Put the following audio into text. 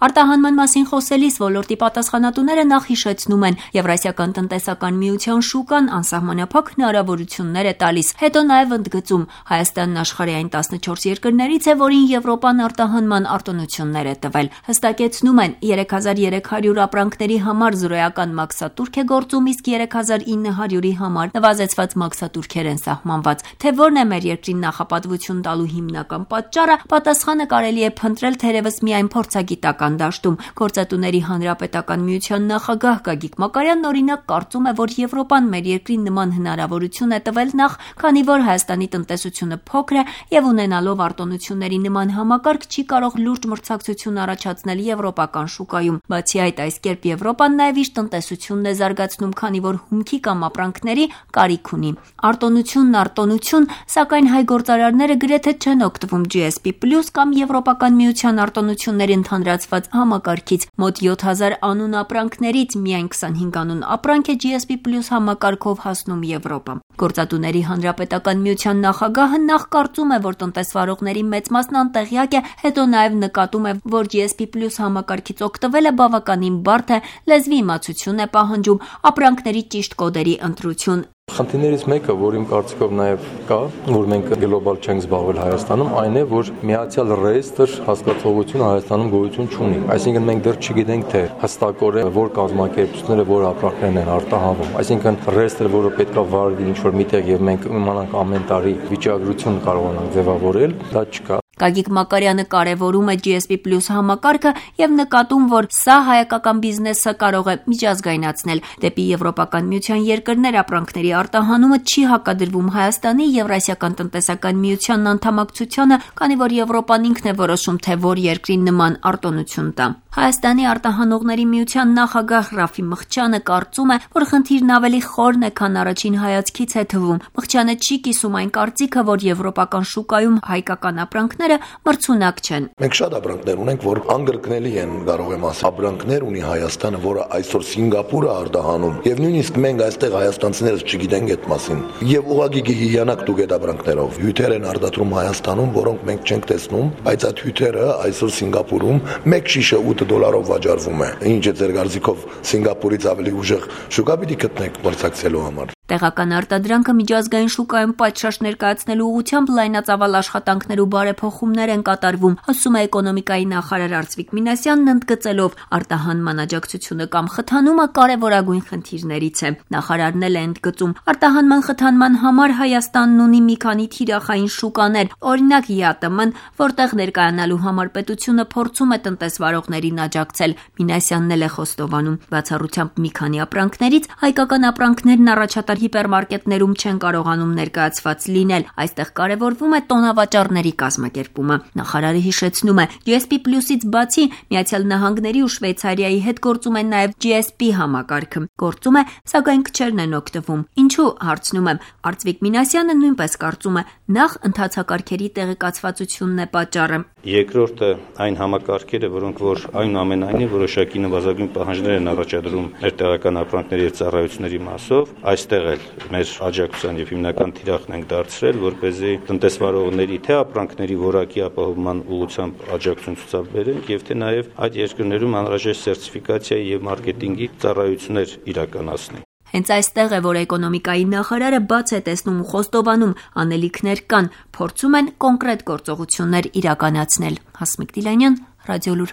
Արտահանման մասին խոսելիս ոլորտի պատասխանատուները նախ հիշեցնում են Եվրասիական տնտեսական միության շուկան անսահմանափակ հնարավորություններ է տալիս, հետո նաև ընդգծում Հայաստանն աշխարհի այն 14 երկրներից է, որին Եվրոպան արտահանման արտոնություններ է տվել։ Հստակեցնում են 3300 ապրանքների համար զրոյական մաքսատուրք է գործում, իսկ 3900-ի համար նվազեցված մաքսատուրքեր են սահմանված։ Թե որն է մեր երկրին նախապատվություն տալու հիմնական պատճառը, պատասխանը կարելի է փնտրել թերևս միայն փորձագիտական դաշտում։ Գործատուների հանրապետական միության նախագահ Գագիկ Մակարյանն օրինակ կարծում է, որ Եվրոպան մեր երկրին նման հնարավորություն է տվել նախ, քանի որ Հայաստանի տնտեսությունը փոքր է եւ ունենալով արտոնությունների նման համակարգ չի կարող լուրջ մրցակցություն առաջացնել եվրոպական շուկայում։ Բացի այդ, այս կերպ Եվրոպան նաեւ իր տնտեսությունն է զարգացնում, քանի որ հումքի կամ ապրանքների կարիք ունի։ Արտոնություն, սակայն հայ գործարարները գրեթե չեն օգտվում GSP+ կամ Եվրոպական միության արտոնությունների ընդհանրացված համակարգից։ Մոտ 7000 անուն ապրանքներից միայն 25 անուն ապրանք է GSP+ համակարգով հասնում Եվրոպա։ Գործատուների հանրապետական միության նախագահը նախ կարծում է, որ տնտեսվարողների մեծ մասն անտեղյակ է, հետո նաև նկատում է, որ GSP+ համակարգից օգտվելը բավականին բարդ է, լեզվի իմացություն է պահանջում, ապրանքների ճիշտ կոդերի ընտրություն։ Խնդիրներից մեկը, որ իմ կարծիքով նաև կա, որ մենք գլոբալ չենք զբաղվել Հայաստանում, այն է, որ միացյալ ռեեստրը հասկացողությունը Հայաստանում գոյություն չունի։ Այսինքն մենք դեռ չգիտենք, թե հստակորեն որ կազմակերպությունները որ ապրանքներն են արտահանվում։ Այսինքն ռեեստրը, որը պետքա վարվի ինչ-որ միտեղ եւ մենք իմանանք ամեն տարի վիճակագրություն կարողանանք ձևավորել, դա չկա։ Գագիկ Մակարյանը կարևորում է GSP+ համակարգը եւ նկատում, որ սա հայկական բիզնեսը կարող է միջազգայնացնել։ Դեպի Եվրոպական միության երկրներ ապրանքների արտահանումը չի հակադրվում Հայաստանի Եվրասիական տնտեսական միության անդամակցությանը, քանի որ Եվրոպան ինքն է որոշում, թե որ երկրին նման արտոնություն տա։ Հայաստանի արտահանողների միության նախագահ Ռաֆի Մխչյանը կարծում է, որ խնդիրն ավելի խորն է, քան առաջին հայացքից է թվում։ Մխչյանը չի կիսում այն կարծիքը, որ եվրոպական շուկայում հայկական ապրանքները մրցունակ չեն։ Մենք շատ ապրանքներ ունենք, որ անգրկնելի են, կարող եմ ասել։ Ապրանքներ ունի Հայաստանը, որը այսօր Սինգապուրը արտահանում, եւ նույնիսկ մենք այստեղ հայաստանցիներս չգիտենք այդ մասին։ Եվ ուղղակի հիանակ դուք այդ ապրանքներով հյութեր են արտադրում Հայաստանում, որոնք մենք չենք տեսնում, բայց այդ հյութերը այսօր Սինգապուրում մեկ շիշը $8 վաճառվում է։ Ինչ է ձեր կարծիքով Սինգապուրից ավելի ուժեղ շուկա պիտի գտնեք մրցակցելու համար։ Տեղական արտադրանքը միջազգային շուկայում պատշաճ ներկայացնելու ուղղությամբ լայնածավալ աշխատանքներ ու բարեփոխումներ են կատարվում, ասում է էկոնոմիկայի նախարար Արծվիկ Մինասյանն, ընդգծելով արտահանման աջակցությունը կամ խթանումը կարևորագույն խնդիրներից է։ Նախարարն էլ է ընդգծում, արտահանման խթանման համար Հայաստանն ունի մի քանի թիրախային շուկաներ, օրինակ ԵԱՏՄ-ն, որտեղ ներկայանալու համար պետությունը փորձում է տնտեսվարողներին աջակցել։ Մինասյանն էլ է խոստովանում, բացառությամբ մի քանի ապրանքներից հայկական ապրանքներն առաջատար հիպերմարկետներում չեն կարողանում ներկայացված լինել։ Այստեղ կարևորվում է տոնավաճառների կազմակերպումը։ Նախարարը հիշեցնում է, GSP+-ից բացի Միացյալ Նահանգների ու Շվեյցարիայի հետ գործում է նաև GSP համակարգը։ Գործում է, սակայն քչերն են օգտվում։ Ինչու, հարցնում եմ։ Արծվիկ Մինասյանը նույնպես կարծում է, նախ ընթացակարգերի տեղեկացվածությունն է պատճառը։ Երկրորդը այն համակարգերը, որոնք որ այնուամենայնիվ որոշակի նվազագույն պահանջներ են առաջադրում մեր տեղական ապրանքների եւ ծառայությունների մասով, այստեղ էլ մեր աջակցության եւ հիմնական թիրախն ենք դարձրել, որպեսզի տնտեսվարողների թե ապրանքների որակի ապահովման ուղղությամբ աջակցություն ցուցաբերենք եւ թե նաեւ այդ երկրներում անհրաժեշտ սերտիֆիկացիայի եւ մարքեթինգի ծառայություններ իրականացնենք։ Հենց այստեղ է, որ էկոնոմիկայի նախարարը բաց է տեսնում ու խոստովանում, անելիքներ կան, փորձում են կոնկրետ գործողություններ իրականացնել։ Հասմիկ Դիլանյան, Ռադիոլուր։